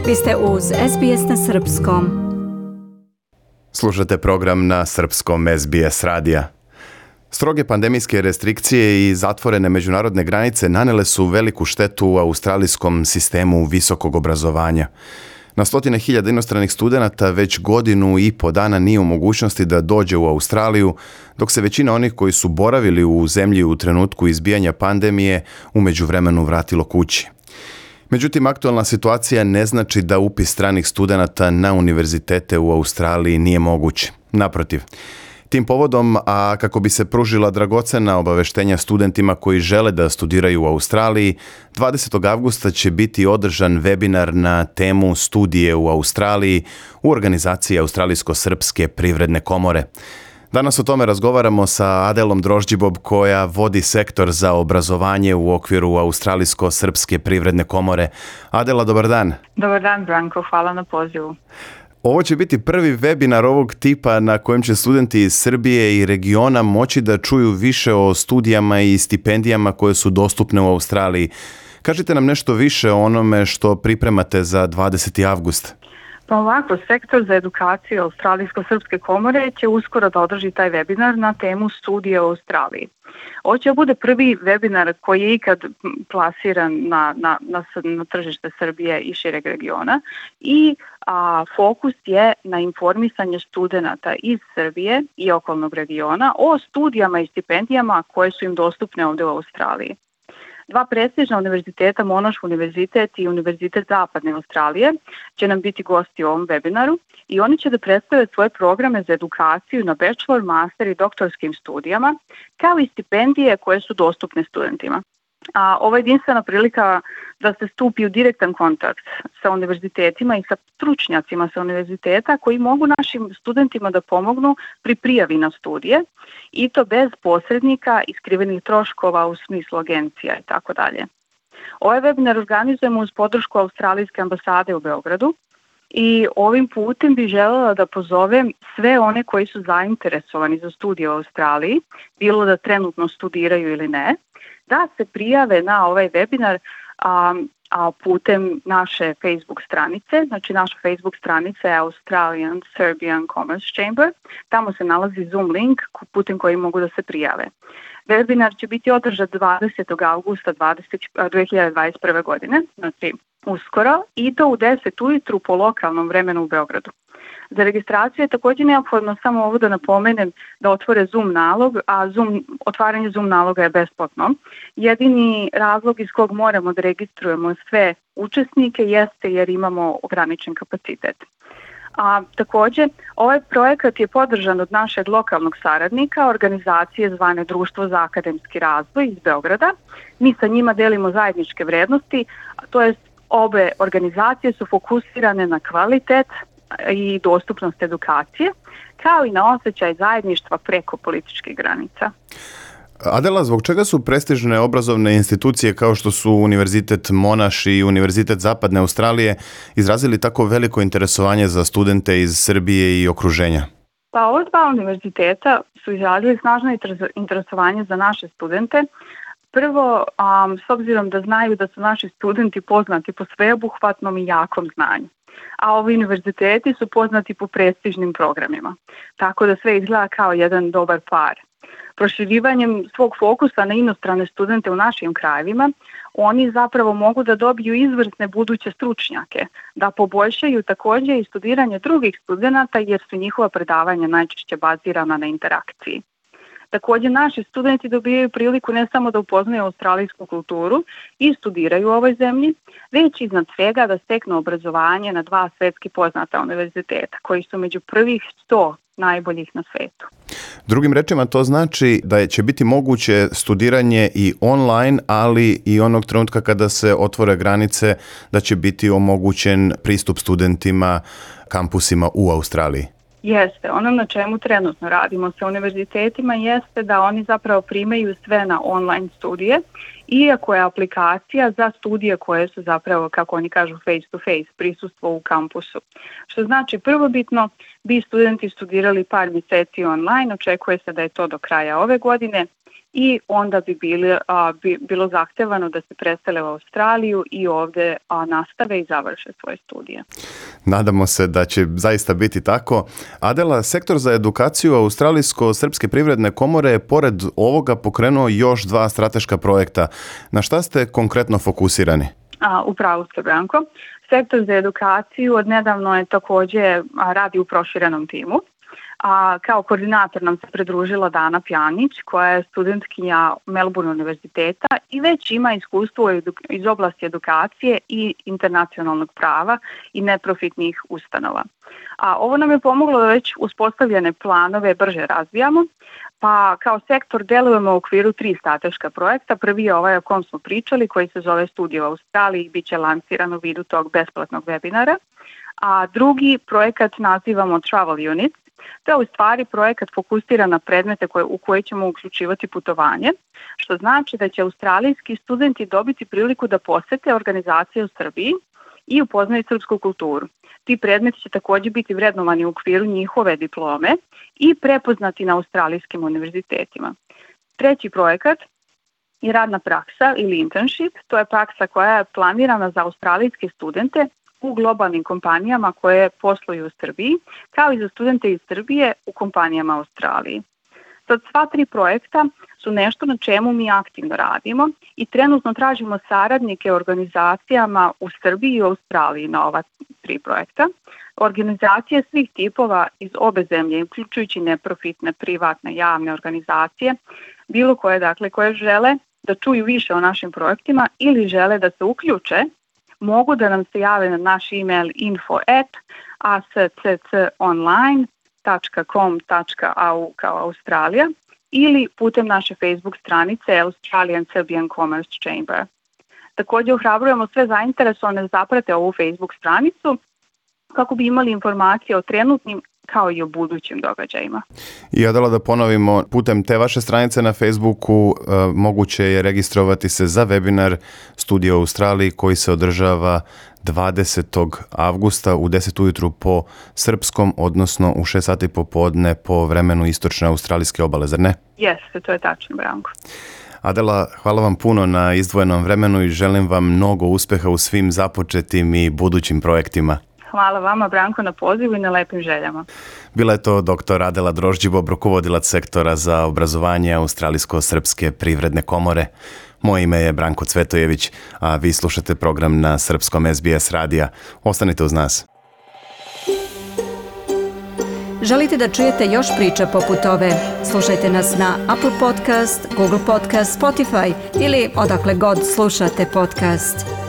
Vi ste uz SBS na Srpskom. Slušate program na srpskom SBS radija. Stroge pandemijske restrikcije i zatvorene međunarodne granice nanele su veliku štetu u australijskom sistemu visokog obrazovanja. Na stotine hiljada inostranih studenata već godinu i po dana nije u mogućnosti da dođe u Australiju, dok se većina onih koji su boravili u zemlji u trenutku izbijanja pandemije u međuvremenu vratilo kući. Međutim, aktualna situacija ne znači da upis stranih studenata na univerzitete u Australiji nije moguć. Naprotiv, tim povodom, a kako bi se pružila dragocena obaveštenja studentima koji žele da studiraju u Australiji, 20. avgusta će biti održan webinar na temu studije u Australiji u organizaciji Australijsko-srpske privredne komore. Danas o tome razgovaramo sa Adelom Drožđibob koja vodi sektor za obrazovanje u okviru Australijsko-srpske privredne komore. Adela, dobar dan. Dobar dan, Branko, hvala na pozivu. Ovo će biti prvi webinar ovog tipa na kojem će studenti iz Srbije i regiona moći da čuju više o studijama i stipendijama koje su dostupne u Australiji. Kažite nam nešto više o onome što pripremate za 20. avgust. Pa ovako, sektor za edukaciju Australijsko-srpske komore će uskoro da održi taj webinar na temu studije u Australiji. Ovo će bude prvi webinar koji je ikad plasiran na tržište Srbije i šireg regiona i fokus je na informisanje studenata iz Srbije i okolnog regiona o studijama i stipendijama koje su im dostupne ovdje u Australiji. Dva prestižna univerziteta, Monash univerzitet i Univerzitet Zapadne Australije, će nam biti gosti u ovom webinaru i oni će da predstave svoje programe za edukaciju na bachelor, master i doktorskim studijama, kao i stipendije koje su dostupne studentima. Ovo je jedinstvena prilika da se stupi u direktan kontakt sa univerzitetima i sa stručnjacima sa univerziteta koji mogu našim studentima da pomognu pri prijavi na studije i to bez posrednika i skrivenih troškova u smislu agencija i tako dalje. Ovaj webinar organizujemo uz podršku Australijske ambasade u Beogradu i ovim putem bih željela da pozovem sve one koji su zainteresovani za studije u Australiji, bilo da trenutno studiraju ili ne, da se prijave na ovaj webinar putem naše Facebook stranice. Znači naša Facebook stranica je Australian Serbian Commerce Chamber. Tamo se nalazi Zoom link putem koji mogu da se prijave. Webinar će biti održan 20. augusta 2021. godine, znači uskoro, i to u 10 ujutru po lokalnom vremenu u Beogradu. Za registraciju je također neophodno samo ovo da napomenem da otvore Zoom nalog, a otvaranje Zoom naloga je besplatno. Jedini razlog iz kog moramo da registrujemo sve učesnike jeste jer imamo ograničen kapacitet. Također, ovaj projekat je podržan od našeg lokalnog saradnika, organizacije zvane Društvo za akademski razvoj iz Beograda. Mi sa njima delimo zajedničke vrednosti, to jest obe organizacije su fokusirane na kvalitet i dostupnost edukacije, kao i na osjećaj zajedništva preko političkih granica. Adela, zbog čega su prestižne obrazovne institucije kao što su Univerzitet Monash i Univerzitet Zapadne Australije izrazili tako veliko interesovanje za studente iz Srbije i okruženja? Pa ova dva univerziteta su izrazili snažno interesovanje za naše studente. Prvo, s obzirom da znaju da su naši studenti poznati po sveobuhvatnom i jakom znanju, a ovi univerziteti su poznati po prestižnim programima, tako da sve izgleda kao jedan dobar par. Proširivanjem svog fokusa na inostrane studente u našim krajevima, oni zapravo mogu da dobiju izvrsne buduće stručnjake, da poboljšaju također i studiranje drugih studenata jer su njihova predavanja najčešće bazirana na interakciji. Također, naši studenti dobijaju priliku ne samo da upoznaju australijsku kulturu i studiraju u ovoj zemlji, već iznad svega da steknu obrazovanje na dva svjetski poznata univerziteta, koji su među prvih 100 najboljih na svijetu. Drugim rečima, to znači da će biti moguće studiranje i online, ali i onog trenutka kada se otvore granice, da će biti omogućen pristup studentima kampusima u Australiji. Jeste, ono na čemu trenutno radimo sa univerzitetima jeste da oni zapravo primaju sve na online studije iako je aplikacija za studije koje su zapravo, kako oni kažu, face to face, prisustvo u kampusu. Što znači prvobitno bi studenti studirali par mjeseci online, očekuje se da je to do kraja ove godine i onda bi bilo zahtevano da se presele u Australiju i ovdje nastave i završe svoje studije. Nadamo se da će zaista biti tako. Adela, sektor za edukaciju Australijsko-srpske privredne komore je pored ovoga pokrenuo još 2 strateška projekta. Na šta ste konkretno fokusirani? Upravo ste, Branko. Sektor za edukaciju odnedavno je također radi u proširenom timu. Kao koordinator nam se pridružila Dana Pjanić, koja je studentkinja Melbourne univerziteta i već ima iskustvo iz oblasti edukacije i internacionalnog prava i neprofitnih ustanova. Ovo nam je pomoglo da već uspostavljene planove brže razvijamo, pa kao sektor delujemo u okviru 3 strateška projekta. Prvi je ovaj o kom smo pričali, koji se zove Studije u Australiji i bit će lansiran u vidu tog besplatnog webinara. A drugi projekat nazivamo Travel Unit. To je u stvari projekat fokusiran na predmete u koje ćemo uključivati putovanje, što znači da će australijski studenti dobiti priliku da posete organizacije u Srbiji i upoznaju srpsku kulturu. Ti predmeti će također biti vrednovani u okviru njihove diplome i prepoznati na australijskim univerzitetima. Treći projekat je radna praksa ili internship. To je praksa koja je planirana za australijske studente u globalnim kompanijama koje posluju u Srbiji, kao i za studente iz Srbije u kompanijama u Australiji. Sad, sva 3 projekta su nešto na čemu mi aktivno radimo i trenutno tražimo saradnike organizacijama u Srbiji i u Australiji na ova 3 projekta. Organizacije svih tipova iz obe zemlje, uključujući neprofitne, privatne, javne organizacije, bilo koje, dakle, koje žele da čuju više o našim projektima ili žele da se uključe, mogu da nam se jave na naš email info@accconline.com.au kao Australija ili putem naše Facebook stranice Australian Serbian Commerce Chamber. Također ohrabrujemo sve zainteresovane da zaprate ovu Facebook stranicu kako bi imali informacije o trenutnim kao i o budućim događajima. I Adela, da ponovimo, putem te vaše stranice na Facebooku moguće je registrovati se za webinar Studije u Australiji koji se održava 20. avgusta u 10 ujutru po srpskom, odnosno u 6 sati popodne po vremenu istočne australijske obale, zar ne? Jeste, to je tačno, Branko. Adela, hvala vam puno na izdvojenom vremenu i želim vam mnogo uspeha u svim započetim i budućim projektima. Hvala vama, Branko, na pozivu i na lepim željama. Bila je to dr. Adela Drožđibob, rukovodilac sektora za obrazovanje Australijsko-srpske privredne komore. Moje ime je Branko Cvetojević, a vi slušate program na srpskom SBS radija. Ostanite uz nas. Želite da čujete još priča poput ove? Slušajte nas na Apple Podcast, Google Podcast, Spotify ili odakle god slušate podcast.